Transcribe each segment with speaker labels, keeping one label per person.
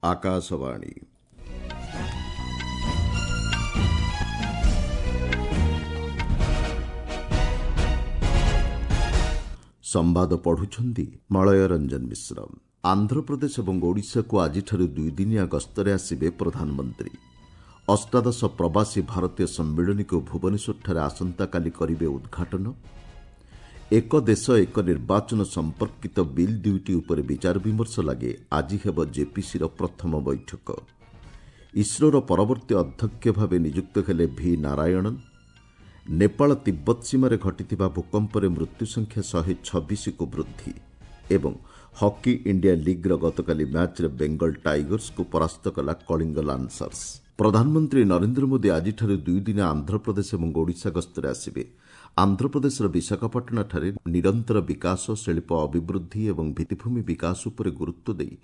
Speaker 1: ଆକାଶବାଣୀ। ସମ୍ବାଦ ପଢୁଛନ୍ତି ମଳୟ ରଞ୍ଜନ ମିଶ୍ର। ଆନ୍ଧ୍ରପ୍ରଦେଶ ଏବଂ ଓଡ଼ିଶାକୁ ଆଜିଠାରୁ ଦୁଇଦିନିଆ ଗସ୍ତରେ ଆସିବେ ପ୍ରଧାନମନ୍ତ୍ରୀ। ଅଷ୍ଟାଦଶ ପ୍ରବାସୀ ଭାରତୀୟ ସମ୍ମିଳନୀକୁ ଭୁବନେଶ୍ୱରଠାରେ ଆସନ୍ତାକାଲି କରିବେ ଉଦ୍ଘାଟନ। ଏକ ଦେଶ ଏକ ନିର୍ବାଚନ ସମ୍ପର୍କିତ ବିଲ୍ ଦୁଇଟି ଉପରେ ବିଚାର ବିମର୍ଶ ଲାଗି ଆଜି ହେବ ଜେପିସିର ପ୍ରଥମ ବୈଠକ। ଇସ୍ରୋର ପରବର୍ତ୍ତୀ ଅଧ୍ୟକ୍ଷ ଭାବେ ନିଯୁକ୍ତ ହେଲେ ଭି ନାରାୟଣନ୍। ନେପାଳ ତିବ୍ବତ ସୀମାରେ ଘଟିଥିବା ଭୂକମ୍ପରେ ମୃତ୍ୟୁ ସଂଖ୍ୟା 126କୁ ବୃଦ୍ଧି ଏବଂ ହକି ଇଣ୍ଡିଆ ଲିଗ୍ର ଗତକାଲି ମ୍ୟାଚ୍ରେ ବେଙ୍ଗଲ ଟାଇଗର୍ସକୁ ପରାସ୍ତ କଲା କଳିଙ୍ଗ ଲାନ୍ସର୍ସ। ପ୍ରଧାନମନ୍ତ୍ରୀ ନରେନ୍ଦ୍ର ମୋଦି ଆଜିଠାରୁ ଦୁଇଦିନିଆ ଆନ୍ଧ୍ରପ୍ରଦେଶ ଏବଂ ଓଡ଼ିଶା ଗସ୍ତରେ ଆସିବେ। ଆନ୍ଧ୍ରପ୍ରଦେଶର ବିଶାଖାପାଟଣାଠାରେ ନିରନ୍ତର ବିକାଶ, ଶିଳ୍ପ ଅଭିବୃଦ୍ଧି ଏବଂ ଭିତ୍ତିଭୂମି ବିକାଶ ଉପରେ ଗୁରୁତ୍ୱ ଦେଇ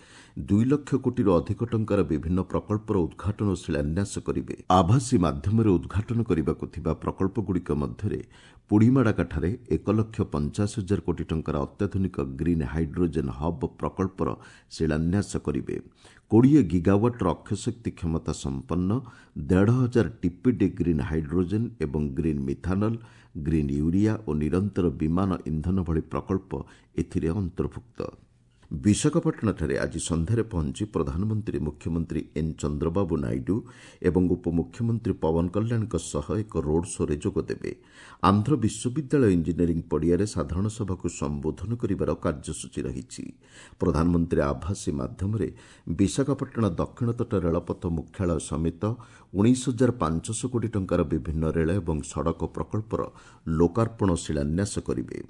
Speaker 1: 2 ଲକ୍ଷ କୋଟିରୁ ଅଧିକ ଟଙ୍କାର ବିଭିନ୍ନ ପ୍ରକଳ୍ପର ଉଦ୍ଘାଟନ ଓ ଶିଳାନ୍ୟାସ କରିବେ। ଆଭାସୀ ମାଧ୍ୟମରେ ଉଦ୍ଘାଟନ କରିବାକୁ ଥିବା ପ୍ରକଳ୍ପଗୁଡ଼ିକ ମଧ୍ୟରେ ପୁଡ଼ିମାଡ଼ାକାଠାରେ 1,85,000 କୋଟି ଟଙ୍କାର ଅତ୍ୟାଧୁନିକ ଗ୍ରୀନ୍ ହାଇଡ୍ରୋଜେନ୍ ହବ୍ ପ୍ରକଳ୍ପର ଶିଳାନ୍ୟାସ କରିବେ। 20 ଗିଗାୱାଟ୍ର ଅକ୍ଷୟଶକ୍ତି କ୍ଷମତା ସମ୍ପନ୍ନ 1,500 ଟିପିଡି ଗ୍ରୀନ୍ ହାଇଡ୍ରୋଜେନ୍ ଏବଂ ଗ୍ରୀନ୍ ମିଥାନଲ୍, ଗ୍ରୀନ୍ ୟୁରିଆ ଓ ନିରନ୍ତର ବିମାନ ଇନ୍ଧନ ଭଳି ପ୍ରକଳ୍ପ ଏଥିରେ ଅନ୍ତର୍ଭୁକ୍ତ। ବିଶାଖାପାଟଣାଠାରେ ଆଜି ସନ୍ଧ୍ୟାରେ ପହଞ୍ଚି ପ୍ରଧାନମନ୍ତ୍ରୀ ମୁଖ୍ୟମନ୍ତ୍ରୀ ଏନ୍ ଚନ୍ଦ୍ରବାବୁ ନାଇଡୁ ଏବଂ ଉପମୁଖ୍ୟମନ୍ତ୍ରୀ ପବନ କଲ୍ୟାଣଙ୍କ ସହ ଏକ ରୋଡ୍ ଶୋରେ ଯୋଗଦେବେ। ଆନ୍ଧ୍ର ବିଶ୍ୱବିଦ୍ୟାଳୟ ଇଞ୍ଜିନିୟରିଂ ପଡ଼ିଆରେ ସାଧାରଣ ସଭାକୁ ସମ୍ବୋଧନ କରିବାର କାର୍ଯ୍ୟସୂଚୀ ରହିଛି। ପ୍ରଧାନମନ୍ତ୍ରୀ ଆଭାସୀ ମାଧ୍ୟମରେ ବିଶାଖାପାଟଣା ଦକ୍ଷିଣ ତଟ ରେଳପଥ ମୁଖ୍ୟାଳୟ ସମେତ 19,500 କୋଟି ଟଙ୍କାର ବିଭିନ୍ନ ରେଳ ଏବଂ ସଡ଼କ ପ୍ରକଳ୍ପର ଲୋକାର୍ପଣ ଓ ଶିଳାନ୍ୟାସ କରିବେ।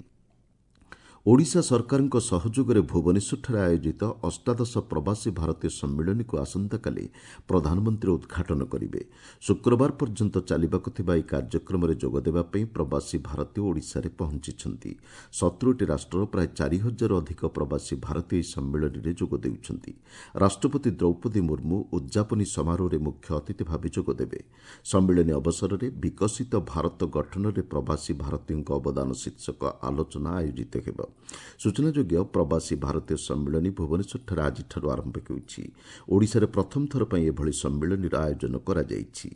Speaker 1: ଓଡ଼ିଶା ସରକାରଙ୍କ ସହଯୋଗରେ ଭୁବନେଶ୍ୱରଠାରେ ଆୟୋଜିତ ଅଷ୍ଟାଦଶ ପ୍ରବାସୀ ଭାରତୀୟ ସମ୍ମିଳନୀକୁ ଆସନ୍ତାକାଲି ପ୍ରଧାନମନ୍ତ୍ରୀ ଉଦ୍ଘାଟନ କରିବେ। ଶୁକ୍ରବାର ପର୍ଯ୍ୟନ୍ତ ଚାଲିବାକୁ ଥିବା ଏହି କାର୍ଯ୍ୟକ୍ରମରେ ଯୋଗଦେବା ପାଇଁ ପ୍ରବାସୀ ଭାରତୀୟ ଓଡ଼ିଶାରେ ପହଞ୍ଚିଛନ୍ତି। 70ଟି ରାଷ୍ଟ୍ରର ପ୍ରାୟ 4,000ରୁ ଅଧିକ ପ୍ରବାସୀ ଭାରତୀୟ ଏହି ସମ୍ମିଳନୀରେ ଯୋଗ ଦେଉଛନ୍ତି। ରାଷ୍ଟ୍ରପତି ଦ୍ରୌପଦୀ ମୁର୍ମୁ ଉଦ୍ଯାପନୀ ସମାରୋହରେ ମୁଖ୍ୟ ଅତିଥି ଭାବେ ଯୋଗଦେବେ। ସମ୍ମିଳନୀ ଅବସରରେ ବିକଶିତ ଭାରତ ଗଠନରେ ପ୍ରବାସୀ ଭାରତୀୟଙ୍କ ଅବଦାନ ଶୀର୍ଷକ ଆଲୋଚନା ଆୟୋଜିତ ହେବ। ସୂଚନାଯୋଗ୍ୟ, ପ୍ରବାସୀ ଭାରତୀୟ ସମ୍ମିଳନୀ ଭୁବନେଶ୍ୱରଠାରେ ଆଜିଠାରୁ ଆରମ୍ଭ ହେଉଛି। ଓଡ଼ିଶାରେ ପ୍ରଥମ ଥର ପାଇଁ ଏଭଳି ସମ୍ମିଳନୀର ଆୟୋଜନ କରାଯାଇଛି।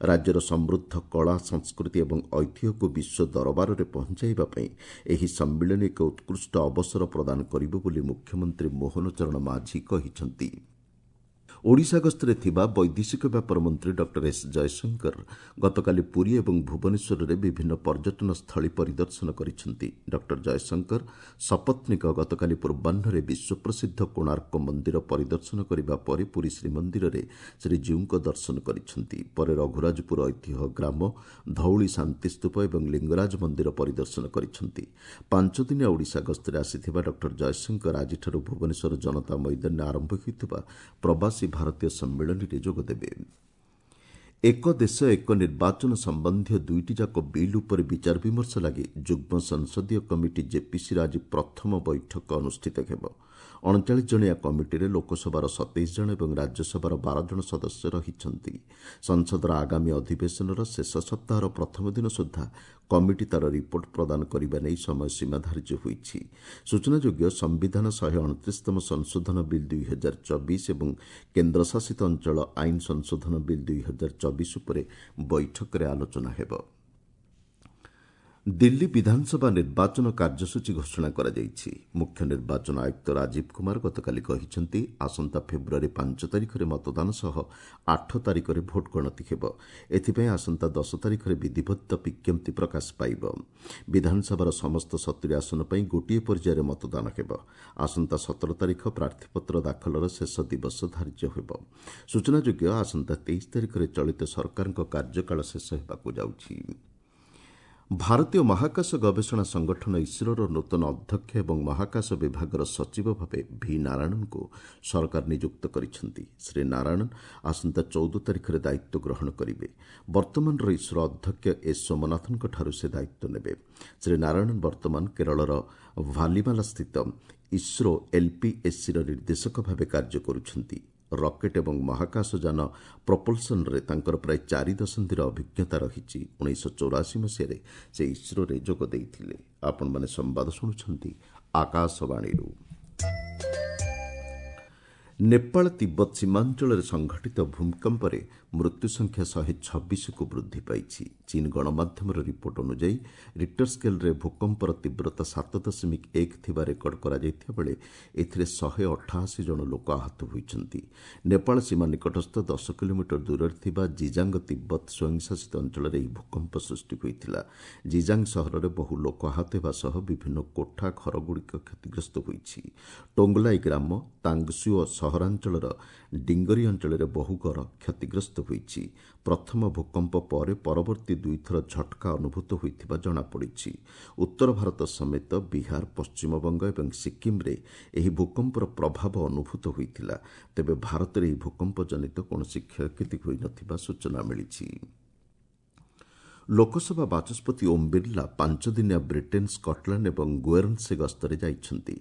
Speaker 1: ରାଜ୍ୟର ସମୃଦ୍ଧ କଳା, ସଂସ୍କୃତି ଏବଂ ଐତିହ୍ୟକୁ ବିଶ୍ୱ ଦରବାରରେ ପହଞ୍ଚାଇବା ପାଇଁ ଏହି ସମ୍ମିଳନୀ ଏକ ଉତ୍କୃଷ୍ଟ ଅବସର ପ୍ରଦାନ କରିବ ବୋଲି ମୁଖ୍ୟମନ୍ତ୍ରୀ ମୋହନ ଚରଣ ମାଝୀ କହିଛନ୍ତି। ଓଡ଼ିଶା ଗସ୍ତରେ ଥିବା ବୈଦେଶିକ ବ୍ୟାପାର ମନ୍ତ୍ରୀ ଡକ୍ଟର ଏସ୍ ଜୟଶଙ୍କର ଗତକାଲି ପୁରୀ ଏବଂ ଭୁବନେଶ୍ୱରରେ ବିଭିନ୍ନ ପର୍ଯ୍ୟଟନ ସ୍ଥଳୀ ପରିଦର୍ଶନ କରିଛନ୍ତି। ଡକ୍ଟର ଜୟଶଙ୍କର ସପତ୍ନୀକ ଗତକାଲି ପୂର୍ବାହ୍ନରେ ବିଶ୍ୱପ୍ରସିଦ୍ଧ କୋଣାର୍କ ମନ୍ଦିର ପରିଦର୍ଶନ କରିବା ପରେ ପୁରୀ ଶ୍ରୀମନ୍ଦିରରେ ଶ୍ରୀଜୀଉଙ୍କ ଦର୍ଶନ କରିଛନ୍ତି। ପରେ ରଘୁରାଜପୁର ଐତିହ୍ୟ ଗ୍ରାମ, ଧଉଳି ଶାନ୍ତିସ୍ତୂପ ଏବଂ ଲିଙ୍ଗରାଜ ମନ୍ଦିର ପରିଦର୍ଶନ କରିଛନ୍ତି। ପାଞ୍ଚଦିନିଆ ଓଡ଼ିଶା ଗସ୍ତରେ ଆସିଥିବା ଡକ୍ଟର ଜୟଶଙ୍କର ଆଜିଠାରୁ ଭୁବନେଶ୍ୱର ଜନତା ମଇଦାନରେ ଆରମ୍ଭ ହୋଇଥିବା ପ୍ରବାସୀ ଭାରତୀୟ ସମ୍ମିଳନୀରେ ଯୋଗଦେବେ। ଏକ ଦେଶ ଏକ ନିର୍ବାଚନ ସମ୍ବନ୍ଧୀୟ ଦୁଇଟି ଯାକ ବିଲ୍ ଉପରେ ବିଚାର ବିମର୍ଶ ଲାଗି ଯୁଗ୍ମ ସଂସଦୀୟ କମିଟି ଜେପିସିର ଆଜି ପ୍ରଥମ ବୈଠକ ଅନୁଷ୍ଠିତ ହେବ। 39 ଜଣିଆ କମିଟିରେ ଲୋକସଭାର 27 ଜଣ ଏବଂ ରାଜ୍ୟସଭାର 12 ଜଣ ସଦସ୍ୟ ରହିଛନ୍ତି। ସଂସଦର ଆଗାମୀ ଅଧିବେଶନର ଶେଷ ସପ୍ତାହର ପ୍ରଥମ ଦିନ ସୁଦ୍ଧା କମିଟି ତା'ର ରିପୋର୍ଟ ପ୍ରଦାନ କରିବା ନେଇ ସମୟସୀମା ଧାର୍ଯ୍ୟ ହୋଇଛି। ସୂଚନାଯୋଗ୍ୟ, ସମ୍ବିଧାନ 129ତମ ସଂଶୋଧନ ବିଲ୍ 2024 ଏବଂ କେନ୍ଦ୍ରଶାସିତ ଅଞ୍ଚଳ ଆଇନ ସଂଶୋଧନ ବିଲ୍ 2024 ଉପରେ ବୈଠକରେ ଆଲୋଚନା ହେବ। ଦିଲ୍ଲୀ ବିଧାନସଭା ନିର୍ବାଚନ କାର୍ଯ୍ୟସୂଚୀ ଘୋଷଣା କରାଯାଇଛି। ମୁଖ୍ୟ ନିର୍ବାଚନ ଆୟୁକ୍ତ ରାଜୀବ କୁମାର ଗତକାଲି କହିଛନ୍ତି, ଆସନ୍ତା ଫେବୃଆରୀ 5 ତାରିଖରେ ମତଦାନ ସହ 8 ତାରିଖରେ ଭୋଟ୍ ଗଣତି ହେବ। ଏଥିପାଇଁ ଆସନ୍ତା 10 ତାରିଖରେ ବିଧିବଦ୍ଧ ବିଜ୍ଞପ୍ତି ପ୍ରକାଶ ପାଇବ। ବିଧାନସଭାର ସମସ୍ତ 70 ଆସନ ପାଇଁ ଗୋଟିଏ ପର୍ଯ୍ୟାୟରେ ମତଦାନ ହେବ। ଆସନ୍ତା 17 ତାରିଖ ପ୍ରାର୍ଥୀପତ୍ର ଦାଖଲର ଶେଷ ଦିବସ ଧାର୍ଯ୍ୟ ହେବ। ସୂଚନାଯୋଗ୍ୟ, ଆସନ୍ତା 23 ତାରିଖରେ ଚଳିତ ସରକାରଙ୍କ କାର୍ଯ୍ୟକାଳ ଶେଷ ହେବାକୁ ଯାଉଛି। ଭାରତୀୟ ମହାକାଶ ଗବେଷଣା ସଂଗଠନ ଇସ୍ରୋର ନୂତନ ଅଧ୍ୟକ୍ଷ ଏବଂ ମହାକାଶ ବିଭାଗର ସଚିବ ଭାବେ ଭି ନାରାୟଣନ୍ଙ୍କୁ ସରକାର ନିଯୁକ୍ତ କରିଛନ୍ତି। ଶ୍ରୀ ନାରାୟଣନ୍ ଆସନ୍ତା 14 ତାରିଖରେ ଦାୟିତ୍ୱ ଗ୍ରହଣ କରିବେ। ବର୍ତ୍ତମାନର ଇସ୍ରୋ ଅଧ୍ୟକ୍ଷ ଏସ୍ ସୋମନାଥନ୍ଙ୍କଠାରୁ ସେ ଦାୟିତ୍ୱ ନେବେ। ଶ୍ରୀ ନାରାୟଣନ୍ ବର୍ତ୍ତମାନ କେରଳର ଭାଲିମାଲାସ୍ଥିତ ଇସ୍ରୋ ଏଲ୍ପିଏସ୍ସିର ନିର୍ଦ୍ଦେଶକ ଭାବେ କାର୍ଯ୍ୟ କରୁଛନ୍ତି। ରକେଟ୍ ଏବଂ ମହାକାଶଯାନ ପ୍ରପଲ୍ସନରେ ତାଙ୍କର ପ୍ରାୟ 4 ଦଶନ୍ଧିର ଅଭିଜ୍ଞତା ରହିଛି। 1984 ମସିହାରେ ସେ ଇସ୍ରୋରେ ଯୋଗ ଦେଇଥିଲେ। ଆପଣମାନେ ସମ୍ବାଦ ଶୁଣୁଛନ୍ତି ଆକାଶବାଣୀରୁ। ନେପାଳ ତିବ୍ବତ ସୀମାଞ୍ଚଳରେ ସଂଘଟିତ ଭୂମିକମ୍ପରେ ମୃତ୍ୟୁ ସଂଖ୍ୟା 126କୁ ବୃଦ୍ଧି ପାଇଛି। ଚୀନ୍ ଗଣମାଧ୍ୟମର ରିପୋର୍ଟ ଅନୁଯାୟୀ ରିକ୍ଟର ସ୍କେଲ୍ରେ ଭୂକମ୍ପର ତୀବ୍ରତା 7.1 ଥିବା ରେକର୍ଡ କରାଯାଇଥିବା ବେଳେ ଏଥିରେ 188 ଜଣ ଲୋକ ଆହତ ହୋଇଛନ୍ତି। ନେପାଳ ସୀମା ନିକଟସ୍ଥ 10 କିଲୋମିଟର ଦୂରରେ ଥିବା ଜିଜାଙ୍ଗ ତିବ୍ବତ ସ୍ୱୟଂଶାସିତ ଅଞ୍ଚଳରେ ଏହି ଭୂକମ୍ପ ସୃଷ୍ଟି ହୋଇଥିଲା। ଜିଜାଙ୍ଗ ସହରରେ ବହୁ ଲୋକ ଆହତ ହେବା ସହ ବିଭିନ୍ନ କୋଠା ଘରଗୁଡ଼ିକ କ୍ଷତିଗ୍ରସ୍ତ ହୋଇଛି। ଟୋଙ୍ଗଲାଇ ଗ୍ରାମ, ତାଙ୍ଗସୁଓ ସହରାଞ୍ଚଳର ଡିଙ୍ଗରି ଅଞ୍ଚଳରେ ବହୁ ଘର କ୍ଷତିଗ୍ରସ୍ତ ହୋଇଛି। ପ୍ରଥମ ଭୂକମ୍ପ ପରେ ପରବର୍ତ୍ତୀ ଦୁଇଥର ଝଟକା ଅନୁଭୂତ ହୋଇଥିବା ଜଣାପଡ଼ିଛି। ଉତ୍ତର ଭାରତ ସମେତ ବିହାର, ପଶ୍ଚିମବଙ୍ଗ ଏବଂ ସିକ୍କିମ୍ରେ ଏହି ଭୂକମ୍ପର ପ୍ରଭାବ ଅନୁଭୂତ ହୋଇଥିଲା। ତେବେ ଭାରତରେ ଏହି ଭୂକମ୍ପ ଜନିତ କୌଣସି କ୍ଷୟକ୍ଷତି ହୋଇନଥିବା ସୂଚନା ମିଳିଛି। ଲୋକସଭା ବାଚସ୍ପତି ଓମ୍ ବିର୍ଲା 5 ଦିନିଆ ବ୍ରିଟେନ୍, ସ୍କଟଲ୍ୟାଣ୍ଡ ଏବଂ ଗୁଏର୍ନସେ ଗସ୍ତରେ ଯାଇଛନ୍ତି।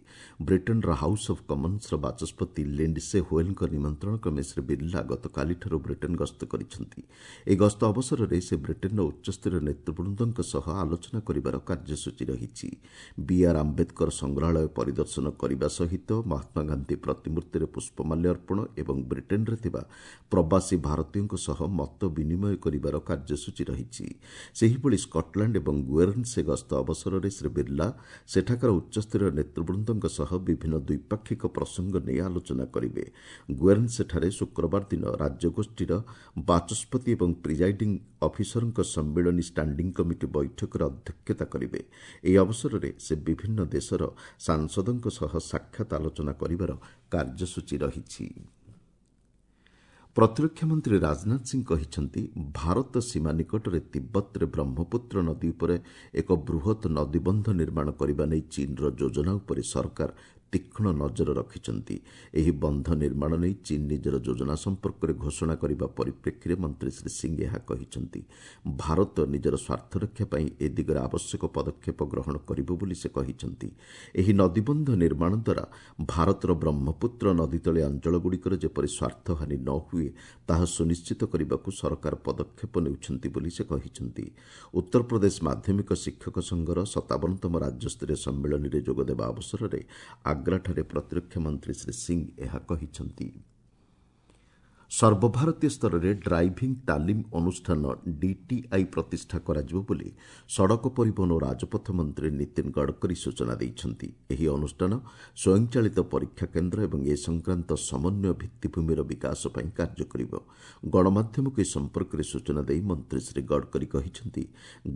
Speaker 1: ବ୍ରିଟେନ୍ର ହାଉସ୍ ଅଫ୍ କମନ୍ସର ବାଚସ୍ପତି ଲିଣ୍ଡସେ ହୋଏଲ୍ଙ୍କ ନିମନ୍ତ୍ରଣ କ୍ରମେ ଶ୍ରୀ ବିର୍ଲା ଗତକାଲିଠାରୁ ବ୍ରିଟେନ୍ ଗସ୍ତ କରିଛନ୍ତି। ଏହି ଗସ୍ତ ଅବସରରେ ସେ ବ୍ରିଟେନ୍ର ଉଚ୍ଚସ୍ତରୀୟ ନେତୃବୃନ୍ଦଙ୍କ ସହ ଆଲୋଚନା କରିବାର କାର୍ଯ୍ୟସୂଚୀ ରହିଛି। ବିଆର୍ ଆମ୍ବେଦକର ସଂଗ୍ରହାଳୟ ପରିଦର୍ଶନ କରିବା ସହିତ ମହାତ୍ମାଗାନ୍ଧୀ ପ୍ରତିମୂର୍ତ୍ତିରେ ପୁଷ୍ପମାଲ୍ୟ ଅର୍ପଣ ଏବଂ ବ୍ରିଟେନ୍ରେ ଥିବା ପ୍ରବାସୀ ଭାରତୀୟଙ୍କ ସହ ମତ ବିନିମୟ କରିବାର କାର୍ଯ୍ୟସୂଚୀ ରହିଛି। ସେହିଭଳି ସ୍କଟଲ୍ୟାଣ୍ଡ ଏବଂ ଗୁଏର୍ନସେ ଗସ୍ତ ଅବସରରେ ଶ୍ରୀ ବିର୍ଲା ସେଠାକାର ଉଚ୍ଚସ୍ତରୀୟ ନେତୃବୃନ୍ଦଙ୍କ ସହ ବିଭିନ୍ନ ଦ୍ୱିପାକ୍ଷିକ ପ୍ରସଙ୍ଗ ନେଇ ଆଲୋଚନା କରିବେ। ଗୁଏର୍ନସେଠାରେ ଶୁକ୍ରବାର ଦିନ ରାଜ୍ୟଗୋଷ୍ଠୀର ବାଚସ୍ପତି ଏବଂ ପ୍ରିଜାଇଡିଂ ଅଫିସରଙ୍କ ସମ୍ମିଳନୀ ଷ୍ଟାଣ୍ଡିଂ କମିଟି ବୈଠକରେ ଅଧ୍ୟକ୍ଷତା କରିବେ। ଏହି ଅବସରରେ ସେ ବିଭିନ୍ନ ଦେଶର ସାଂସଦଙ୍କ ସହ ସାକ୍ଷାତ ଆଲୋଚନା କରିବାର କାର୍ଯ୍ୟସୂଚୀ ରହିଛି। ପ୍ରତିରକ୍ଷା ମନ୍ତ୍ରୀ ରାଜନାଥ ସିଂ କହିଛନ୍ତି, ଭାରତ ସୀମା ନିକଟରେ ତିବ୍ବତରେ ବ୍ରହ୍ମପୁତ୍ର ନଦୀ ଉପରେ ଏକ ବୃହତ୍ ନଦୀବନ୍ଧ ନିର୍ମାଣ କରିବା ନେଇ ଚୀନ୍ର ଯୋଜନା ଉପରେ ସରକାର ତୀକ୍ଷ୍ଣ ନଜର ରଖିଛନ୍ତି। ଏହି ବନ୍ଧ ନିର୍ମାଣ ନେଇ ଚୀନ୍ ନିଜର ଯୋଜନା ସମ୍ପର୍କରେ ଘୋଷଣା କରିବା ପରିପ୍ରେକ୍ଷୀରେ ମନ୍ତ୍ରୀ ଶ୍ରୀ ସିଂ ଏହା କହିଛନ୍ତି। ଭାରତ ନିଜର ସ୍ୱାର୍ଥରକ୍ଷା ପାଇଁ ଏ ଦିଗରେ ଆବଶ୍ୟକ ପଦକ୍ଷେପ ଗ୍ରହଣ କରିବ ବୋଲି ସେ କହିଛନ୍ତି। ଏହି ନଦୀବନ୍ଧ ନିର୍ମାଣ ଦ୍ୱାରା ଭାରତର ବ୍ରହ୍ମପୁତ୍ର ନଦୀତଳିଆ ଅଞ୍ଚଳଗୁଡ଼ିକର ଯେପରି ସ୍ୱାର୍ଥହାନି ନ ହୁଏ ତାହା ସୁନିଶ୍ଚିତ କରିବାକୁ ସରକାର ପଦକ୍ଷେପ ନେଉଛନ୍ତି ବୋଲି ସେ କହିଛନ୍ତି। ଉତ୍ତରପ୍ରଦେଶ ମାଧ୍ୟମିକ ଶିକ୍ଷକ ସଂଘର 57ତମ ରାଜ୍ୟସ୍ତରୀୟ ସମ୍ମିଳନୀରେ ଯୋଗଦେବା ଅବସରରେ ଆଗ୍ରାଠାରେ ପ୍ରତିରକ୍ଷା ମନ୍ତ୍ରୀ ଶ୍ରୀ ସିଂ ଏହା କହିଛନ୍ତି। ସର୍ବଭାରତୀୟ ସ୍ତରରେ ଡ୍ରାଇଭିଂ ତାଲିମ ଅନୁଷ୍ଠାନ ଡିଟିଆଇ ପ୍ରତିଷ୍ଠା କରାଯିବ ବୋଲି ସଡ଼କ ପରିବହନ ଓ ରାଜପଥ ମନ୍ତ୍ରୀ ନୀତିନ ଗଡ଼କରୀ ସୂଚନା ଦେଇଛନ୍ତି। ଏହି ଅନୁଷ୍ଠାନ ସ୍ୱୟଂଚାଳିତ ପରୀକ୍ଷା କେନ୍ଦ୍ର ଏବଂ ଏ ସଂକ୍ରାନ୍ତ ସମନ୍ୱୟ ଭିତ୍ତିଭୂମିର ବିକାଶ ପାଇଁ କାର୍ଯ୍ୟ କରିବ। ଗଣମାଧ୍ୟମକୁ ଏ ସମ୍ପର୍କରେ ସୂଚନା ଦେଇ ମନ୍ତ୍ରୀ ଶ୍ରୀ ଗଡ଼କରୀ କହିଛନ୍ତି,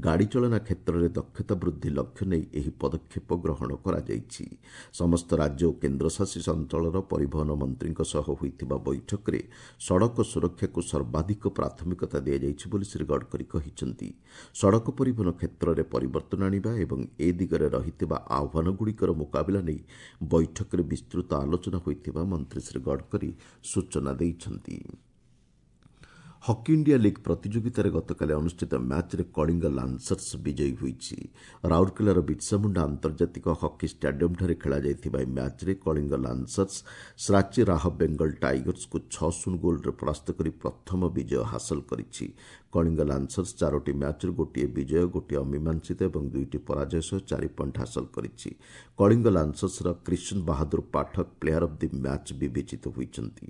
Speaker 1: ଗାଡ଼ି ଚାଳନା କ୍ଷେତ୍ରରେ ଦକ୍ଷତା ବୃଦ୍ଧି ଲକ୍ଷ୍ୟ ନେଇ ଏହି ପଦକ୍ଷେପ ଗ୍ରହଣ କରାଯାଇଛି। ସମସ୍ତ ରାଜ୍ୟ ଓ କେନ୍ଦ୍ରଶାସିତ ଅଞ୍ଚଳର ପରିବହନ ମନ୍ତ୍ରୀଙ୍କ ସହ ହୋଇଥିବା ବୈଠକରେ ସଡ଼କ ସୁରକ୍ଷାକୁ ସର୍ବାଧିକ ପ୍ରାଥମିକତା ଦିଆଯାଇଛି ବୋଲି ଶ୍ରୀ ଗଡ଼କରୀ କହିଛନ୍ତି। ସଡ଼କ ପରିବହନ କ୍ଷେତ୍ରରେ ପରିବର୍ତ୍ତନ ଆଣିବା ଏବଂ ଏ ଦିଗରେ ରହିଥିବା ଆହ୍ୱାନଗୁଡ଼ିକର ମୁକାବିଲା ନେଇ ବୈଠକରେ ବିସ୍ତୃତ ଆଲୋଚନା ହୋଇଥିବା ମନ୍ତ୍ରୀ ଶ୍ରୀ ଗଡ଼କରୀ ସୂଚନା ଦେଇଛନ୍ତି। ହକି ଇଣ୍ଡିଆ ଲିଗ୍ ପ୍ରତିଯୋଗିତାରେ ଗତକାଲି ଅନୁଷ୍ଠିତ ମ୍ୟାଚ୍ରେ କଳିଙ୍ଗ ଲାନ୍ସର୍ସ ବିଜୟୀ ହୋଇଛି। ରାଉରକେଲାର ବିର୍ସାମୁଣ୍ଡା ଆନ୍ତର୍ଜାତିକ ହକି ଷ୍ଟାଡିୟମ୍ଠାରେ ଖେଳାଯାଇଥିବା ଏହି ମ୍ୟାଚ୍ରେ କଳିଙ୍ଗ ଲାନ୍ସର୍ସ ଶ୍ରାଚୀ ରାହ ବେଙ୍ଗଲ ଟାଇଗର୍ସକୁ 6-0 ଗୋଲ୍ରେ ପରାସ୍ତ କରି ପ୍ରଥମ ବିଜୟ ହାସଲ କରିଛି। କଳିଙ୍ଗ ଲାନ୍ସର୍ସ 4ଟି ମ୍ୟାଚ୍ରୁ ଗୋଟିଏ ବିଜୟ, ଗୋଟିଏ ଅମୀମାଂସିତ ଏବଂ 2ଟି ପରାଜୟ ସହ 4 ପଏଣ୍ଟ ହାସଲ କରିଛି। Kalinga ଲାନ୍ସର୍ସର Krishan Bahadur Pathak player of the match ବିବେଚିତ ହୋଇଛନ୍ତି।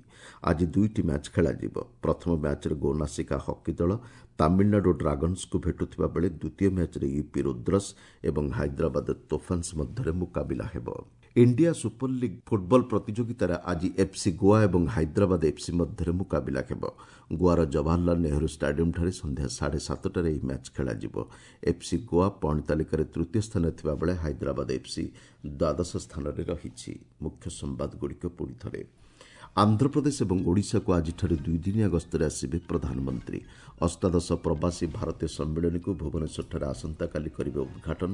Speaker 1: ଆଜି 2ଟି ମ୍ୟାଚ୍ ଖେଳାଯିବ। ପ୍ରଥମ ମ୍ୟାଚ୍ରେ ଗୋନାସିକା ହକି ଦଳ ତାମିଲନାଡୁ ଡ୍ରାଗନ୍ସକୁ ଭେଟୁଥିବା ବେଳେ ଦ୍ୱିତୀୟ ମ୍ୟାଚ୍ରେ ୟୁପି ରୁଦ୍ରସ୍ ଏବଂ ହାଇଦ୍ରାବାଦ ତୋଫାନ୍ସ ମଧ୍ୟରେ ମୁକାବିଲା ହେବ। ଇଣ୍ଡିଆ ସୁପର ଲିଗ୍ ଫୁଟବଲ ପ୍ରତିଯୋଗିତାରେ ଆଜି ଏଫ୍ସି ଗୋଆ ଏବଂ ହାଇଦ୍ରାବାଦ ଏଫ୍ସି ମଧ୍ୟରେ ମୁକାବିଲା ହେବ। ଗୋଆର ଜବାହରଲାଲ ନେହେରୁ ଷ୍ଟାଡିୟମ୍ଠାରେ ସନ୍ଧ୍ୟା 7:30ଟାରେ ଏହି ମ୍ୟାଚ୍ ଖେଳାଯିବ। ଏଫ୍ସି ଗୋଆ ପଏଣ୍ଟ ତାଲିକାରେ ତୃତୀୟ ସ୍ଥାନରେ ଥିବାବେଳେ ହାଇଦ୍ରାବାଦ ଏଫ୍ସି ଦ୍ୱାଦଶ ସ୍ଥାନରେ ରହିଛି। ମୁଖ୍ୟ ସମ୍ବାଦଗୁଡ଼ିକ ପୁଣି ଥରେ। ଆନ୍ଧ୍ରପ୍ରଦେଶ ଏବଂ ଓଡ଼ିଶାକୁ ଆଜିଠାରୁ 2 ଦିନିଆ ଗସ୍ତରେ ଆସିବେ ପ୍ରଧାନମନ୍ତ୍ରୀ। ଅଷ୍ଟାଦଶ ପ୍ରବାସୀ ଭାରତୀୟ ସମ୍ମିଳନୀକୁ ଭୁବନେଶ୍ୱରଠାରେ ଆସନ୍ତାକାଲି କରିବେ ଉଦ୍ଘାଟନ।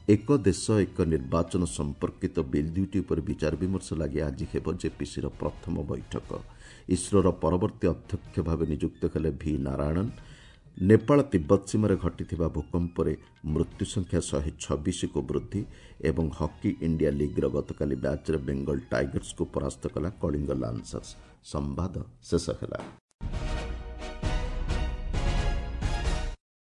Speaker 1: ଏକ ଦେଶ ଏକ ନିର୍ବାଚନ ସମ୍ପର୍କିତ ବିଲ୍ 2ଟି ଉପରେ ବିଚାର ବିମର୍ଶ ଲାଗି ଆଜି ହେବ ଜେପିସିର ପ୍ରଥମ ବୈଠକ। ଇସ୍ରୋର ପରବର୍ତ୍ତୀ ଅଧ୍ୟକ୍ଷ ଭାବେ ନିଯୁକ୍ତ ହେଲେ ଭି ନାରାୟଣନ୍। ନେପାଳ ତିବ୍ବତ ସୀମାରେ ଘଟିଥିବା ଭୂକମ୍ପରେ ମୃତ୍ୟୁ ସଂଖ୍ୟା 126କୁ ବୃଦ୍ଧି ଏବଂ ହକି ଇଣ୍ଡିଆ ଲିଗ୍ର ଗତକାଲି ମ୍ୟାଚ୍ରେ ବେଙ୍ଗଲ ଟାଇଗର୍ସକୁ ପରାସ୍ତ କଲା କଳିଙ୍ଗ ଲାନ୍ସର୍ସ। ସମ୍ବାଦ ଶେଷ ହେଲା।